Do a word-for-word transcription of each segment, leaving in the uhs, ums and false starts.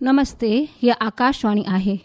नमस्ते, हीअ आकाशवाणी आहे।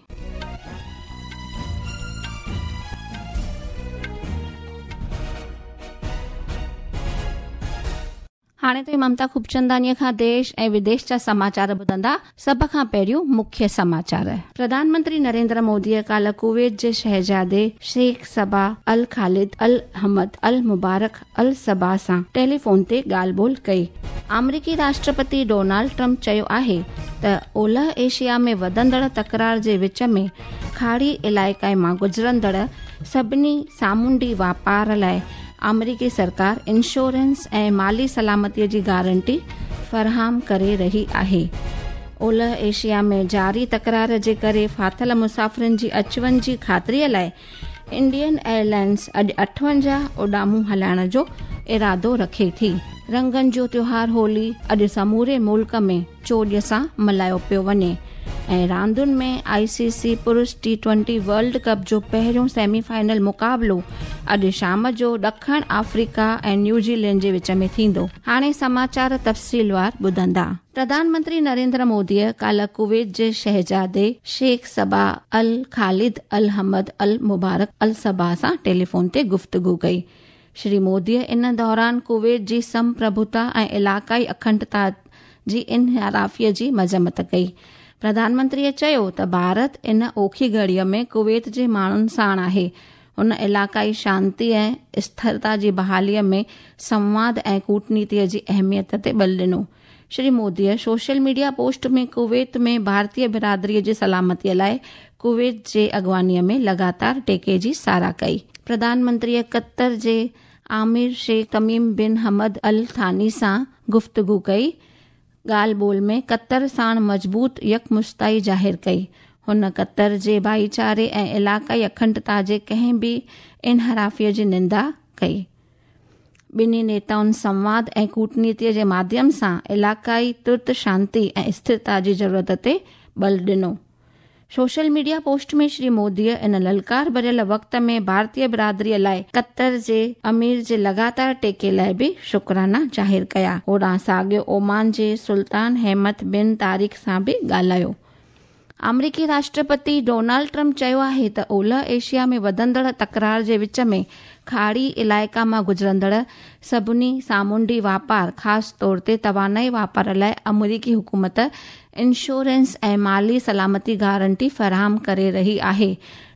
हाणे त ममता खूबचंदानीअ खां देश ऐं विदेश जा समाचार ॿुधंदा। सभ खां पहिरियों मुख्य समाचार। प्रधानमंत्री नरेंद्र मोदीअ काल्ह कुवैत जे शहजादे Sheikh Sabah Al Khalid Al Hamad Al Mubarak Al Sabah सां टेलीफोन ते ॻाल्हि ॿोल कई। आमेरिकी राष्ट्रपति डोनाल्ड ट्रंप चयो आहे त ओलह एशिया में वधंदड़ तकरार जे विच में खाड़ी इलाइक़े मां गुज़रंदड़ सभिनी सामुंडी वापार लाइ आमेरिकी सरकार इंश्योरेंस ऐं माली सलामतीअ जी गारंटी फराहम करे रही आहे। ओलह एशिया में जारी तकरार जे करे फाथिल मुसाफ़िरनि जी अच वञ जी ख़ातिरीअ लाइ इंडियन एयरलाइंस अॼु अठवंजाह उॾामूं हलाइण जो इरादो रखे थी। रंगनि जो त्योहार होली अॼु समूरे मुल्क में चोॼ सां मल्हायो पियो वञे। ऐं रांदुनि में आईसीसी पुरुष टी ट्वेंटी वर्ल्ड कप जो पहिरियों सेमीफाइनल मुक़ाबिलो अॼु शाम जो ॾखण आफ्रीका ऐं न्यूज़ीलैंड जे विच में थींदो। हाणे समाचार तफ़सीलवार ॿुधंदा। प्रधानमंत्री नरेंद्र मोदीअ काल्ह कुवैत जे शहजादे Sheikh Sabah Al Khalid Al Hamad Al Mubarak Al Sabah सां टेलीफोन ते गुफ़्तगू कई। श्री मोदीअ इन दौरान कुवैत जी संप्रभुता ऐं इलाक़ाई अखंडता जी इनहिराफ़ीअ जी मज़म्मत कई। प्रधानमंत्रीअ चयो त भारत इन ओखी घड़ीअ में कुवैत जे माण्हुनि साण आहे। हुन इलाक़ाई शांति ऐं स्थिरता जी बहालीअ में संवाद ऐं कूटनीतीअ जी अहमियत ते बल ॾिनो। श्री मोदीअ सोशल मीडिया पोस्ट में कुवैत में भारतीय बिरादरीअ जी सलामतीअ लाइ कुवैत जे अॻुवानीअ में लगातार टेके जी सराह कई। प्रधानमंत्रीअ क़तर जे Aamir Sheikh Tamim bin Hamad Al Thani सां गुफ़्तगू कई। ॻाल्हि ॿोल में क़तर साण मज़बूत यकमुश्ताई ज़ाहिर कई। हुन क़तर जे भाईचारे ऐं इलाक़ाई अखंडता जे कंहिं बि इनहिराफ़ीअ जी निंदा कई। ॿिन्ही नेताउनि संवाद ऐं कूटनीतीअ जे माध्यम सां इलाक़ाई तुर्त शांति ऐं स्थिरता जी ज़रूरत ते बल ॾिनो। सोशल मीडिया पोस्ट में श्री मोदीअ इन ललकार भरियल वक़्त में भारतीय बिरादरीअ लाइ क़तर जे अमीर जे लगातार टेके लाइ बि शुक्राना ज़ाहिर कया। होॾां साॻियो ओमान जे सुल्तान अहमद बिन तारिक सां बि ॻाल्हायो। आमेरिकी राष्ट्रपति डोनाल्ड ट्रंप चयो आहे त ओलह एशिया में वधंदड़ तकरार जे विच में खाड़ी इलाइक़ा मां गुज़रंदड़ सभिनी सामुंडी वापार ख़ासि तौर ते तवानाई वापार लाइ अमेरिकी हुकूमत इंश्योरेंस ऐं माली सलामती गारंटी फराहम करे रही आहे।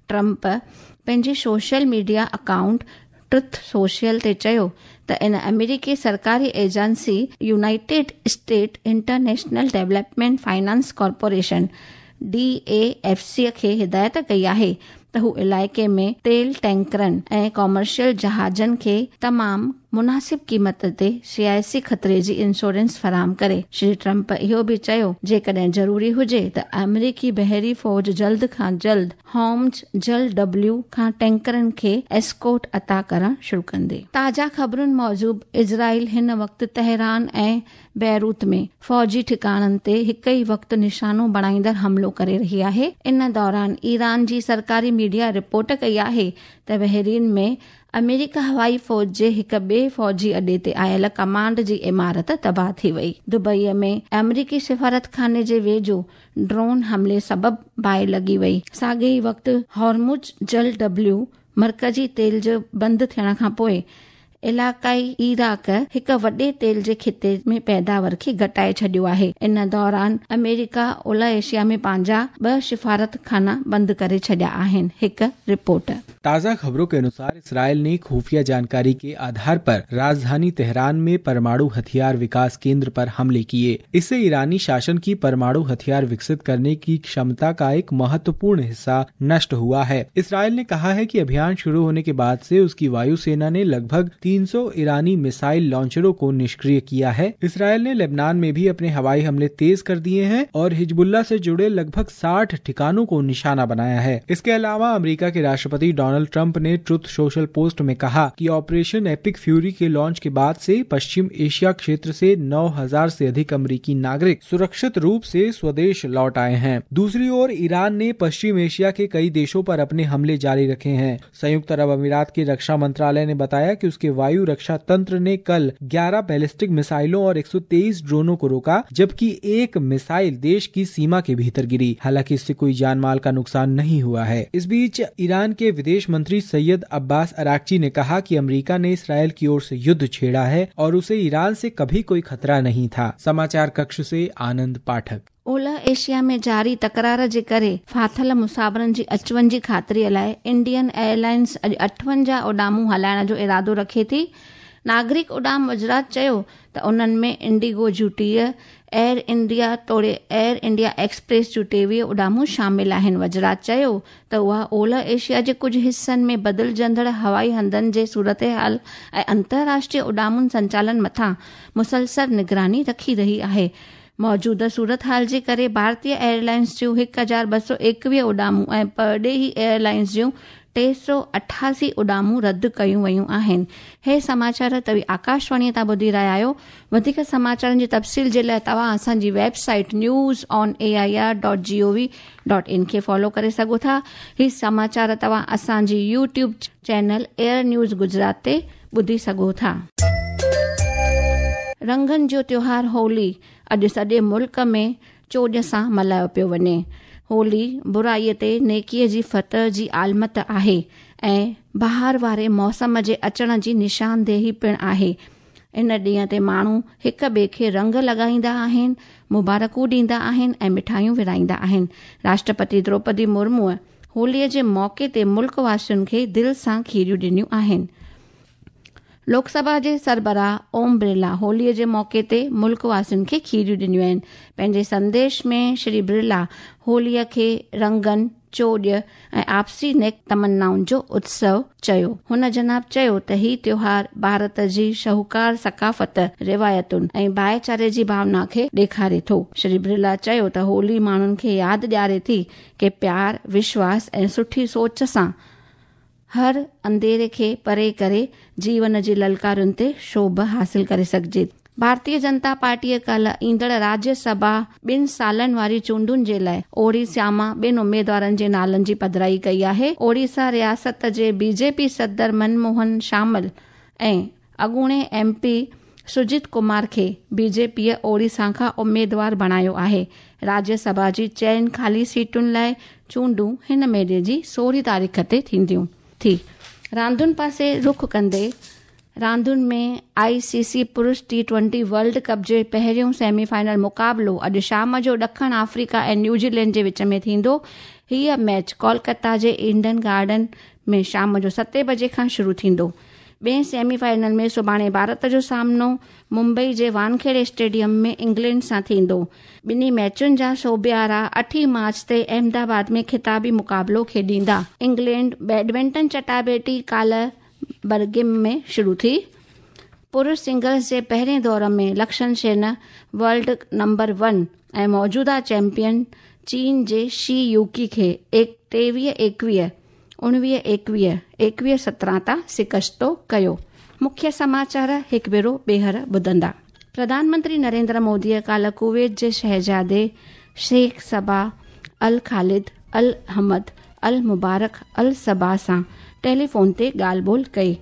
ट्रंप पंहिंजे social media account Truth Social ते चयो त इन अमेरिकी सरकारी agency United State International Development Finance Corporation D A F C खे हिदायत कई आहे त हू इलाइक़े में तेल टैंकरनि ऐं कॉमर्शियल जहाज़नि खे तमामु मुनासिब क़ीमत ते सियासी ख़तरे जी इंश्योरेंस फराहम करे। श्री ट्रंप इहो बि चयो जेकॾहिं ज़रूरी हुजे त अमेरिकी बहरी फ़ौज जल्द खां जल्द हॉर्मुज़ जल डब्ल्यू खां टैंकरनि खे एस्कॉर्ट अता करणु शुरू कंदे। ताज़ा ख़बरुनि मूजिबि इज़राइल हिन वक़्तु तेहरान ऐं बैरूत में फ़ौजी ठिकाणनि ते हिकु ई वक़्तु निशानो बणाईंदड़ हमलो करे रही आहे। इन दौरान ईरान जी सरकारी मीडिया रिपोर्ट कई आहे त बहरीन में अमेरिका हवाई फ़ौज जे हिकु ॿिए फ़ौजी अॾे ते आयल कमांड जी इमारत तबाह थी वई। दुबईअ में अमेरिकी सिफारतखाने जे वेझो ड्रोन हमले सबबु बाहि लॻी वई। साॻे ई वक़्तु हॉर्मुज़ जल डब्ल्यू मर्कज़ी तेल जो बंदि थियण खां पोइ इलाक़ाई इराक हिकु वॾे तेल जे खिते में पैदावार खे घटाए छॾियो आहे। इन दौरान अमेरिका ओलह एशिया में पंहिंजा ॿ सिफारतखाना बंदि करे छॾिया आहिनि। हिकु रिपोर्ट। ताज़ा खबरों के अनुसार इसराइल ने खुफिया जानकारी के आधार पर राजधानी तेहरान में परमाणु हथियार विकास केंद्र पर हमले किए। इससे ईरानी शासन की परमाणु हथियार विकसित करने की क्षमता का एक महत्वपूर्ण हिस्सा नष्ट हुआ है। इसराइल ने कहा है कि अभियान शुरू होने के बाद से उसकी वायुसेना ने लगभग तीन सौ ईरानी मिसाइल लॉन्चरों को निष्क्रिय किया है। इसराइल ने लेबनान में भी अपने हवाई हमले तेज कर दिए हैं और हिजबुल्लाह से जुड़े लगभग साठ ठिकानों को निशाना बनाया है। इसके अलावा अमेरिका के राष्ट्रपति डोनाल्ड ट्रंप ने ट्रुथ सोशल पोस्ट में कहा कि ऑपरेशन एपिक फ्यूरी के लॉन्च के बाद से पश्चिम एशिया क्षेत्र से नौ हजार से अधिक अमेरिकी नागरिक सुरक्षित रूप से स्वदेश लौट आए हैं। दूसरी ओर ईरान ने पश्चिम एशिया के कई देशों पर अपने हमले जारी रखे हैं। संयुक्त अरब अमीरात के रक्षा मंत्रालय ने बताया कि उसके वायु रक्षा तंत्र ने कल ग्यारह बैलिस्टिक मिसाइलों और एक सौ तेईस ड्रोनों को रोका, जबकि एक मिसाइल देश की सीमा के भीतर गिरी। हालांकि इससे कोई जान माल का नुकसान नहीं हुआ है। इस बीच ईरान के विदेश मंत्री सैयद अब्बास अराक्ची ने कहा कि अमेरिका ने इसराइल की ओर से युद्ध छेड़ा है और उसे ईरान से कभी कोई खतरा नहीं था। समाचार कक्ष से आनंद पाठक। ओलह एशिया में जारी तकरार जे करे फाथल मुसाफ़िरनि जी अचवञ जी ख़ातिरीअ लाइ इंडियन एयरलाइंस अॼु अठवंजाह उॾामूं हलाइण जो इरादो रखे थी। नागरिक उॾाम वज़ारत चयो त उन्हनि में इंडिगो जूं टीह, एयर इंडिया तोड़े एयर इंडिया एक्सप्रेस जूं टेवीह उॾामूं शामिल आहिनि। वज़ारत चयो त उहा ओलह एशिया जे कुझु हिसनि में बदिलजंदड़ हवाई हंधनि जे सूरत हाल ऐं अंतर्राष्ट्रीय उॾामुनि संचालन मथां मुसलसल निगरानी रखी रही आहे। मौजूदा सूरत हाल जे करे भारतीय एयरलाइंस जूं हिकु हज़ार ॿ सौ एकवीह उॾामूं ऐं परॾेही एयरलाइंस जूं टे सौ अठासी उॾामूं रद्द कयूं वयूं आहिनि। हे समाचार तव्हीं आकाशवाणीअ तां ॿुधी रहिया आहियो। वधीक समाचारनि जी तफ़सील जे लाइ तव्हां असांजी website news on A I R dot G O V dot in खे फॉलो करे सघो था। ही समाचार तव्हां असांजी YouTube channel air news Gujarat ते ॿुधी सघो था। रंगनि जो त्योहार होली अॼु सॼे मुल्क में चोॾ सां मल्हायो पियो वञे। होली बुराईअ ते नेकीअ जी फतह जी आलमत आहे ऐं बहार वारे मौसम जे अचण जी निशानदेही पिणु आहे। इन ॾींहं ते माण्हू हिक ॿिए खे रंग लॻाईंदा आहिनि, मुबारकूं ॾींदा आहिनि ऐं मिठाइयूं विराईंदा आहिनि। राष्ट्रपति द्रौपदी मुर्मूअ होलीअ जे मौक़े ते मुल्क वासियुनि खे दिलि सां खीरियूं ॾिनियूं आहिनि। लोकसभा जे सरबराह ओम बिरला होलीअ जे मौक़े ते मुल्क वासियुनि खे खीरियूं ॾिनियूं आहिनि। पंहिंजे संदेश में श्री बिरला होलीअ खे रंगनि, चोॾ ऐं आपसी नेक तमन्नाउनि जो उत्सव चयो। हुन जनाब चयो त ही त्योहार भारत जी शहूकार सकाफ़त, रिवायतुनि ऐं भाईचारे जी भावना खे ॾेखारे थो। श्री बिरला चयो त होली माण्हुनि खे यादि ॾियारे थी की प्यार, विश्वास ऐं सुठी सोच सां हर अंधेरे खे परे करे जीवन जी ललकारुनि ते शोभ हासिल करे सघिजे। भारतीय जनता पार्टीअ काल्ह ईंदड़ राज्यसभा ॿिनि सालनि वारी चूंडुनि जे लाइ ओडिशा मां ॿिनि उमेदवारनि जे नालनि जी पधराई कई आहे। ओडिशा रियासत जे बीजेपी सदर मनमोहन शामिल ऐं अॻूणे एमपी सुजित कुमार खे बीजेपीअ ओडिशा खां उमेदवार बणायो आहे। राज्यसभा जी चइनि ख़ाली सीटुनि लाइ चूंडूं हिन महीने जी सोरहीं तारीख़ ते थींदियूं। थी रांदुनि पासे रुख कंदे रांदुनि में आईसीसी पुरुष टी ट्वेंटी वर्ल्ड कप जे पहिरियों सेमीफाइनल मुक़ाबिलो अॼु शाम जो ॾखण आफ्रीका ऐं न्यूज़ीलैंड जे विच में थींदो। हीअ मैच कोलकाता जे ईडन गार्डन में शाम जो सते बजे खां शुरू थींदो। ॿिए सेमीफाइनल में सुभाणे भारत जो सामनो मुंबई जे वानखेड़े स्टेडियम में इंग्लैंड सां थींदो। ॿिन्ही मैचुनि जा सोबियारा अठी मार्च ते अहमदाबाद में ख़िताबी मुक़ाबिलो खेॾींदा। इंग्लैंड बैडमिंटन चटाबेटी काल्ह बर्गिम में शुरू थी। पुरुष सिंगल्स जे पहिरें दौर में Lakshya Sen world number one ऐं मौजूदा चैंपियन चीन जे she Yuki खे टेवीह एकवीह, उणिवीह एकवीह, एकवीह सत्रहं तां शिकस्तो कयो। मुख्य समाचार हिकु भेरो ॿीहर ॿुधंदा। प्रधानमंत्री नरेंद्र मोदीअ काल्ह कुवैत जे शहज़ादे Sheikh Sabah Al Khalid Al Ahmad Al Mubarak Al Sabah सां टेलीफोन ते ॻाल्हि ॿोल कई।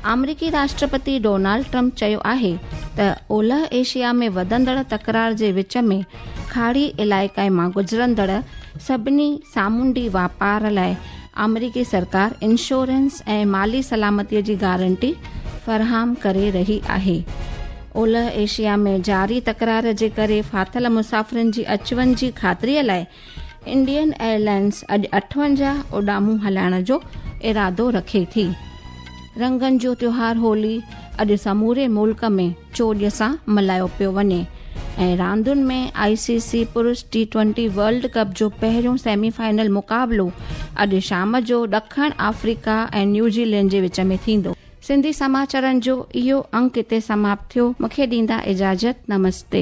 आमेरिकी राष्ट्रपति डोनाल्ड ट्रंप चयो आहे त ओलह एशिया में वधंदड़ तकरार जे विच में खाड़ी इलाइक़े मां गुज़रंदड़ सभिनी सामुंडी वापार लाइ आमेरिकी सरकार इंश्योरेंस ऐं माली सलामतीअ जी गारंटी फराहम करे रही आहे। ओलह एशिया में जारी तकरार जे करे फाथल मुसाफ़िरनि जी अचवञ जी ख़ातिरीअ लाइ इंडियन एयरलाइंस अॼु अठवंजाह उॾामूं हलाइण जो इरादो रखे थी। रंगनि जो त्योहार होली अॼु समूरे मुल्क में चोॾ सां मल्हायो पियो वञे ऐं रांदुनि में आईसीसी पुरुष टी ट्वेंटी वर्ल्ड कप जो पहिरियों सेमीफाइनल मुक़ाबिलो अॼु शाम जो ॾखण आफ्रीका ऐं न्यूज़ीलैंड जे विच में थींदो। सिंधी समाचारनि जो इहो अंक हिते समाप्त थियो। मूंखे ॾींदा इजाज़त। नमस्ते।